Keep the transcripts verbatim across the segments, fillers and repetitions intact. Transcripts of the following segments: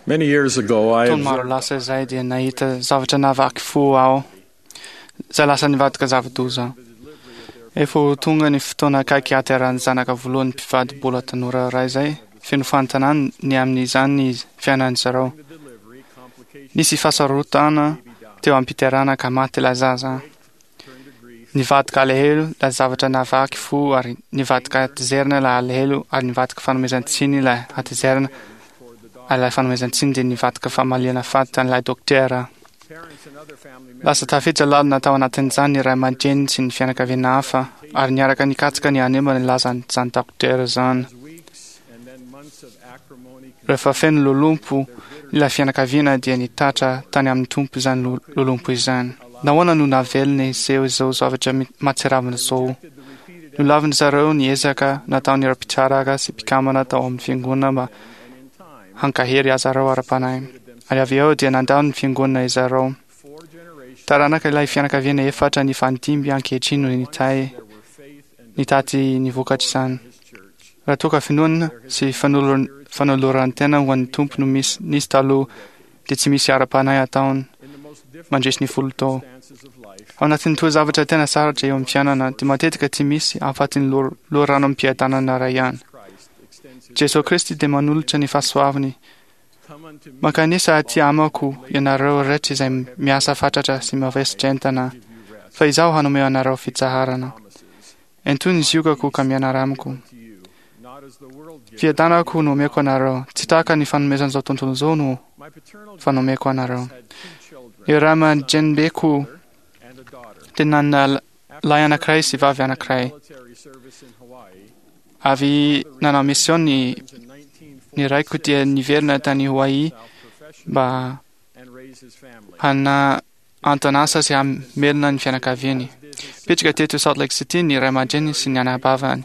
Many years ago, I Taona maro observed lasa izay dia nahita zavatra nahavaky fo aho, izay lasa nivadika zava-doza. Efa ho tonga ny fotoana akaiky hahaterahan'ny zanaka voalohany mpivady mbola tanora iray izay feno fanontaniana ny amin'izany ny fiainan'ny zareo. Nisy fahasarotana teo am-piterahana ka maty ilay zaza. Nivadika alahelo ilay zavatra nahavaky fo ary nivadika hatezerana ilay alahelo ary nivadika fanomezan-tsiny ilay hatezerana ary ilay fanomezan-tsiny dia nivadika famaliana faty an'ilay dokotera. Lasa tafiditra lalina tao anatin'izany ny ray aman-dreniny sy ny fianakaviana hafa ary niaraka nikatsaka ny hanimba ny lazan'izany dokotera izany. Rehefa feno lolompo ilay fianakaviana dia nitatra tany amin'ny Tompo izany lolompo izany. Nahoana no navelona hiseho izao zavatra mahatsiravina izao? Nolavin'ny zareo ny ezaka nataon'ireo mpitsaraka sy mpikambana tao amin'ny fiangonana mba hankahery azy ireo ara-panahy. Ary avy eo dia nandao ny fiangonana izy ireo. Taranaka ilay fianakaviana efatra nifandimby ankehitriny no nitahy nitaty ny vokatr'izany. Raha toa ka finoana sy fanoloran-tena ho an'ny Tompo no misy nisy taloha dia tsy misy ara-panahy ataony mandresy ny folo tao. Ao anatin'ny toe-javatra tena sarotra eo amin'ny fiainana dia matetika tsy misy afa-tsy ny loharanom-piadanana iray ihany. Jesoa Kristy dia manolotra ny fahasoavany. Mankanesa aty amako ianareo rehetra izay miasa fatratra sy mavesatra entana, fa izaho hanome anareo fitsaharana. Ento ny ziogako ka mianara amiko. Fiadanako no omeko anareo, tsy tahaka ny fanomezan'izao tontolo izao no fanomeko anareo. Ny ray aman-drenibeko dia nanana lahy anankiray sy vavy anankiray. Avy nanao mission ny ny raiko dia niverina tany Hawaii mba hana anton'asa sy hamelona ny fianakaviany. Mipetraka teto Salt Lake City ny ray aman-dreny sy ny anabavany.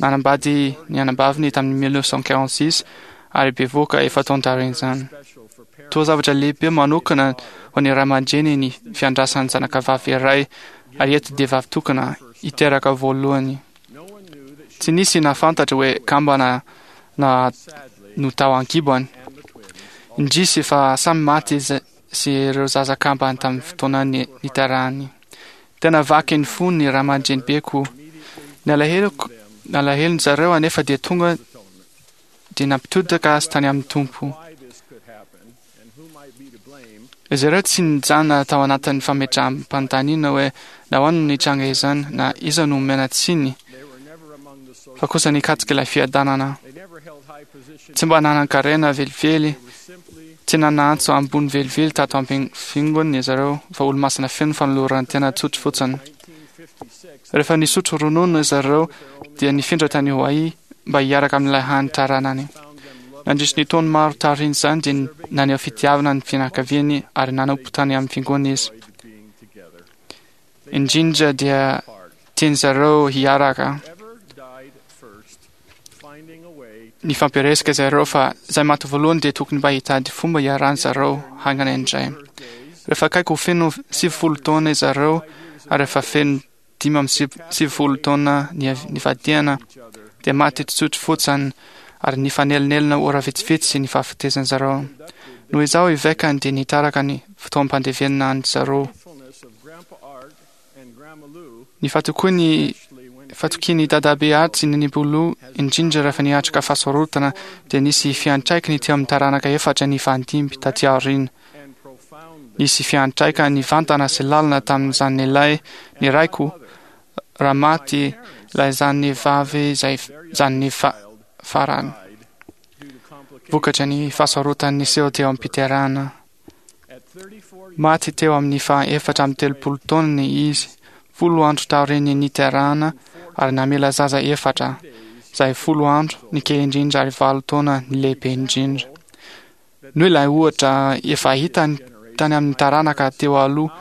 Nanambady ny anabaviny tamin'ny mille neuf cent quarante-six ary bevohoka efa-taona taorian'izany. Toa zavatra lehibe manokana ho an'ny ray aman-dreny ny fiandrasan'ny zanakavavy iray ary eto dia vavy tokana hiteraka voalohany. Tsy nisy nahafantatra hoe kambana na no tao an-kibony. Indrisy fa samy maty izy sy ireo zaza kambany tamin'ny fotoana niterahany. Tena vaky ny fony ny ray aman-drenibeko. Ny alaheloko, ny alahelon-dry zareo anefa dia tonga dia nampitodika azy tany amin'ny Tompo. Izy ireo tsy nijanona tao anatin'ny fametraham-panontaniana hoe nahoana no nitranga izany na iza no omena tsiny, fa kosa nikatsaka ilay fiadanana. Tsy mba nanan-karena velively, tsy nanantso ambony velively tato am-fiangonana izy ireo, fa olo-masina feno fanoloran-tena tsotra fotsiny. Rehefa nisotro ronono izy ireo dia nifindra tany Hawaii mba hiaraka amin'ilay hany taranany. Nandritry ny taona maro taorian'izany dia naneho fitiavana ny fianakaviany ary nanompo tany amin'ny fiangonana izy. Indrindra dia tiany zareo hiaraka. Nifampiresaka zareo fa izay maty voalohany dia tokony mba hitady fomba hiarahany zareo haingana indray. Rehefa akaiky ho feno sivifolo taona zareo ary efa feno dimy amby sivifolo taona nivadiana dia maty tsotro fotsiny ary nifanelinelina ora vitsivitsy ny fahafatesany zareo. Noho izaho evekany dia nitaraka ny fotoam-pandevenana any zareo. Ny fatokiany fatokian'ny dadabe Art sy ny Bolo indrindra rehefa niatrika fahasarotana dia nisy fiantraikany teo amin'ny taranaka efatra nifandimby taty aoriana. Nisy fiantraikany nivantana sy lalina tamin'izany ilay ny raiko raha maty ilay zanany vavy izay zanany farany. Vokatra ny fahasarotany niseho teo am-piterahana. Maty teo amin'ny faha efatra amby telopolo taonany izy, folo andro taorian'ny niterahana ary namela zaza efatra, izay folo andro ny kely indrindra ary valo taona ny lehibe indrindra. Noho ilay ohatra efa hitany tany amin'ny taranaka teo aloha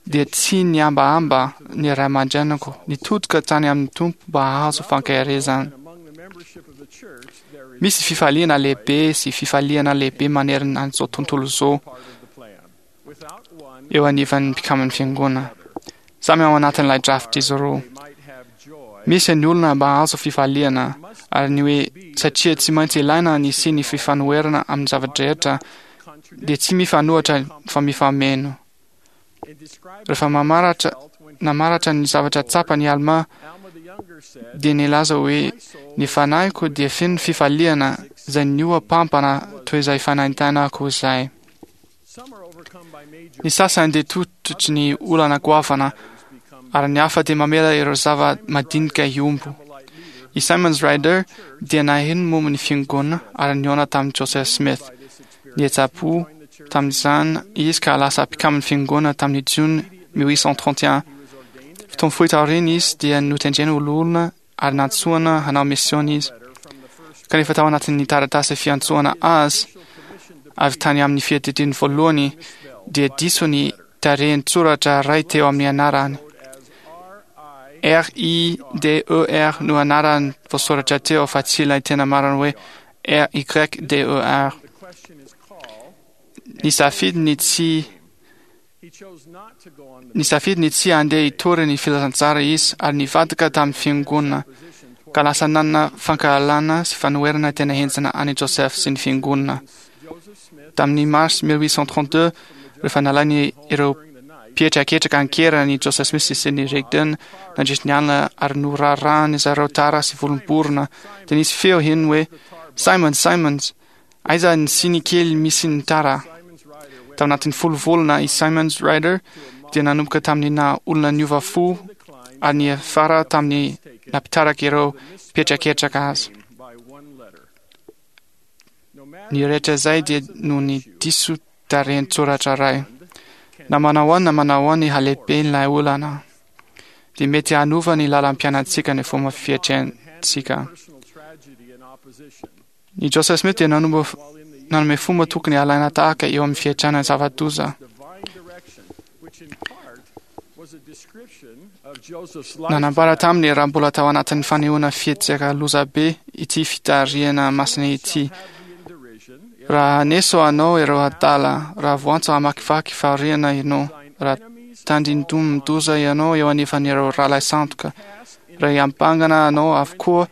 dia tsy nihambahamba ny ray aman-dreniko nitodika tany amin'ny Tompo mba hahazo fankaherezana. Misy fifaliana lehibe sy fifaliana lehibe manerana an'izao tontolo izao eo anivan'ny mpikamban'ny fiangonana. Samy ao anatin'ilay drafitra izy ireo. Misy ny olona mba hahazo fifaliana, ary ny hoe satria tsy maintsy ilaina ny sy ny fifanoherana amin'ny zava-drehetra dia tsy mifanohitra fa mifameno. Rehefa mamaratra namaratra ny zavatra tsapany Alma dia nilaza hoe ny fanahiko dia feno fifaliana izay nihoa-pampana toy izay fanaintainako izay. Ny sasany dia tototry ny olana goavana ary ny hafa dia mamela ireo zava-madinika hiombo. I Simons Ryder dia naheno momba ny fiangonana ary nihaona tamin'i Joseph Smith. Nihetsi-po tamin'izany izy ka lasa mpikaman'ny fiangonana tamin'ny Jona mille huit cent trente et un. Fotoana fohy taoriana izy dia notendrena ho loholona ary nantsoina hanao misiona izy. Kanefa tao anatin'ny taratasy fiantsoana azy avy tany amin'ny fiadidiany voalohany dia diso ny tarehin-tsoratra iray teo amin'ny anarany. R I D E R no anarany voasoratra teo fa tsy ilay tena marina hoe R Y D E R. Nisafidy ny tsy nisafidy ny tsy handeha hitory ny filazantsara izy ary nivadika tamin'ny fiangonana ka lasa nanana fankahalana sy fanoherana tena henjana an'i Joseph sy ny fiangonana. Tamin'ny mars mille huit cent trente-deux, rehefa nalainy ireo mpihetraketraka an-keriny Joseph Smith sy Sidney Rigdon nandritry ny alina ary norarahany zareo tara sy volom-borona, dia nisy feo heno hoe Simons, Simons, aiza ny siny kely misy ny tara? Tao anatin'ny folo volana i Simons Ryder dia nanomboka tamin'ny naha olona niova fo ary niafara tamin'ny nampitaraka ireo mpihetraketraka azy. Ny rehetra izay dia noho ny diso tarehin-tsoratra iray. Na manao ahoana na manao ahoana ny halehiben'ilay olana, dia mety hanova ny lalam-piainantsika ny fomba fiatrehantsika. Ny Joseph Smith dia nanombo nanome fomba tokony halaina tahaka eo amin'ny fiatrehana zava-doza. Nanambara taminy raha mbola tao anatin'ny fanehoana fihetsika lozabe ity fitarihana masina ity. Raha haneso anao ireo adala, raha voantso hamakivaky fahoriana ianao, raha tandindomin-doza ianao eo anefan'ireo rahalahy sandoka, raha hiampangana anao avokoa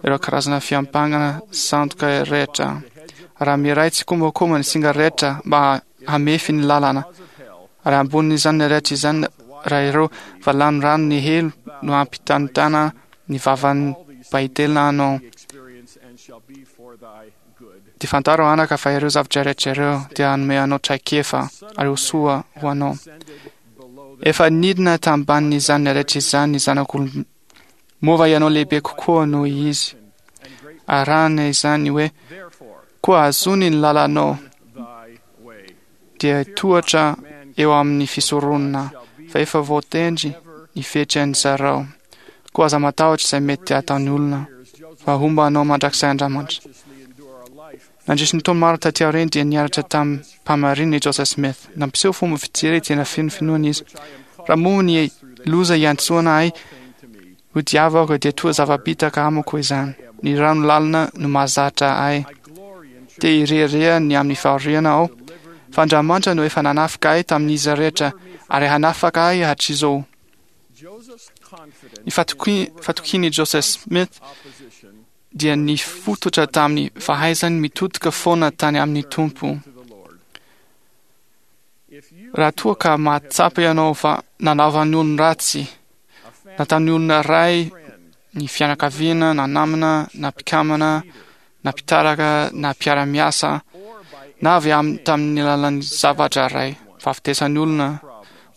ireo karazana fiampangana sandoka rehetra, raha miray tsikombakomba ny singa rehetra mba hamefy ny lalana, ary ambonin'izany rehetra izany raha ireo valanorano ny helo no hampitanitana ny vavan'ny mpahitelina anao, dia fantaro anaka fa ireo zavatra rehetra ireo dia hanome anao traikefa ary ho soa ho anao. Efa nidina tambanin'izany rehetra izany ny zanak'olona. Moa va ianao lehibe kokoa noho izy? Arahana izany hoe koa azony ny lalanao dia tohatra eo amin'ny fisoronana fa efa voatendry ny fetran'ny zarao. Koa aza matahotra izay mety hataon'ny olona fa homba anao mandrakizay Andriamanitra. Nandritry ny taona maro taty aoriana dia niaritra tamim-pahamarinana i Joseph Smith. Nampiseho fomba fijery tena feno finoana izy. Raha momba ny loza iantsoana ahy ho diavako dia toa zava-bitaka amiko izany. Ny rano lalina no mahazatra ahy. Te hirehareha ny amin'ny fahoriana aho, fa Andriamanitra no efa nanafika ahy tamin'izy rehetra ary hanafaka ahy hatrizao. Ny fatokian'i Joseph Smith dia nifototra tamin'ny fahaizany mitodika foana tany amin'ny Tompo. Raha toa ka mahatsapa ianao fa nanaovan'ny olona ratsy, na tamin'ny olona iray, ny fianakaviana, na namana, na mpikamana, na mpitaraka, na mpiara-miasa, na avy amin'ny tamin'ny alalan'ny zavatra iray, fahafatesan'ny olona,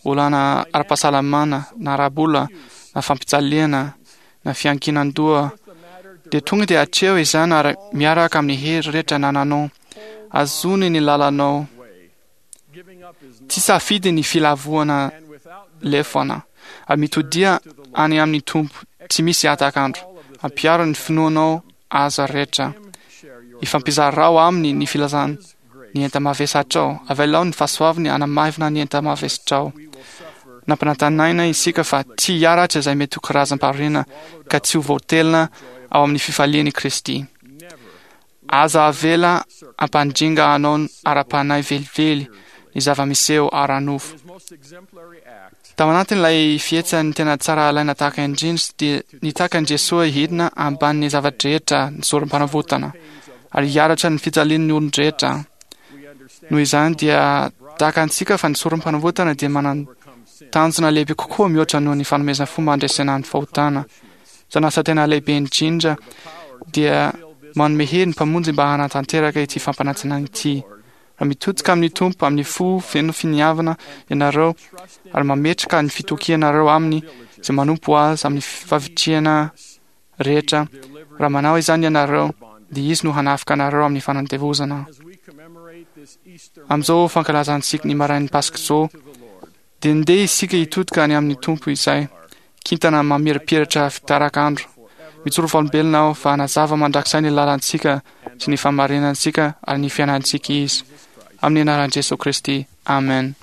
olana ara-pahasalamana, na ara-bola, na fampijaliana, na fiankinan-doha, dia tonga dia atreho izany ary miaraka amin'ny hery rehetra anananao. Azony ny lalanao. Tsy safidy ny filavoana lefona, ary mitodia any amin'ny Tompo tsy misy hatak'andro. Ampiaro ny finoanao aza rehetra. Ifampizarao aminy ny filazana ny enta-mavesatrao. Avelao ny fahasoavany hanamaivana ny enta-mavesatrao. Nampanantenaina isika fa tsy hiaratra izay mety ho karazam-pahoriana ka tsy ho voatelina ao amin'ny fifalian'i Kristy. Aza avela hampandringa anao ara-panahy velively ny zava-miseho ara-nofo. Tao anatin'ilay fihetsehany tena tsara alaina tahaka indrindra dia nitaka an'i Jesoa hidina ambanin'ny zava-drehetra ny sorom-panavotana ary hiaritra ny fijalian'ny olon-drehetra. Noho izany dia tahaka antsika fa ny sorom-panavotana dia manan-tanjona lehibe kokoa mihoatra noho ny fanomezana fomba handresena ny fahotana. Izany asa tena lehibe indrindra dia manome hery ny Mpamonjy mba hanatanteraka ity fampanantenana ity. Raha mitodika amin'ny Tompo amin'ny fo feno finiavana ianareo ary mametraka ny fitokianareo Aminy izay manompo Azy amin'ny favitrihana rehetra, raha manao izany ianareo, dia Izy no hanafika anareo amin'ny fanandevozana. Amin'izao fankalazantsika ny marain'ny Paska izao, dia ndeha isika hitodika any amin'ny Tompo izay kintana mamirapiratra fitarak'andro. Mijoro vavolombelona aho fa hanazava mandrakizay ny lalantsika sy ny fahamarinantsika ary ny fiainantsika Izy. Amin'ny anaran'i Jesoa Kristy. Amen.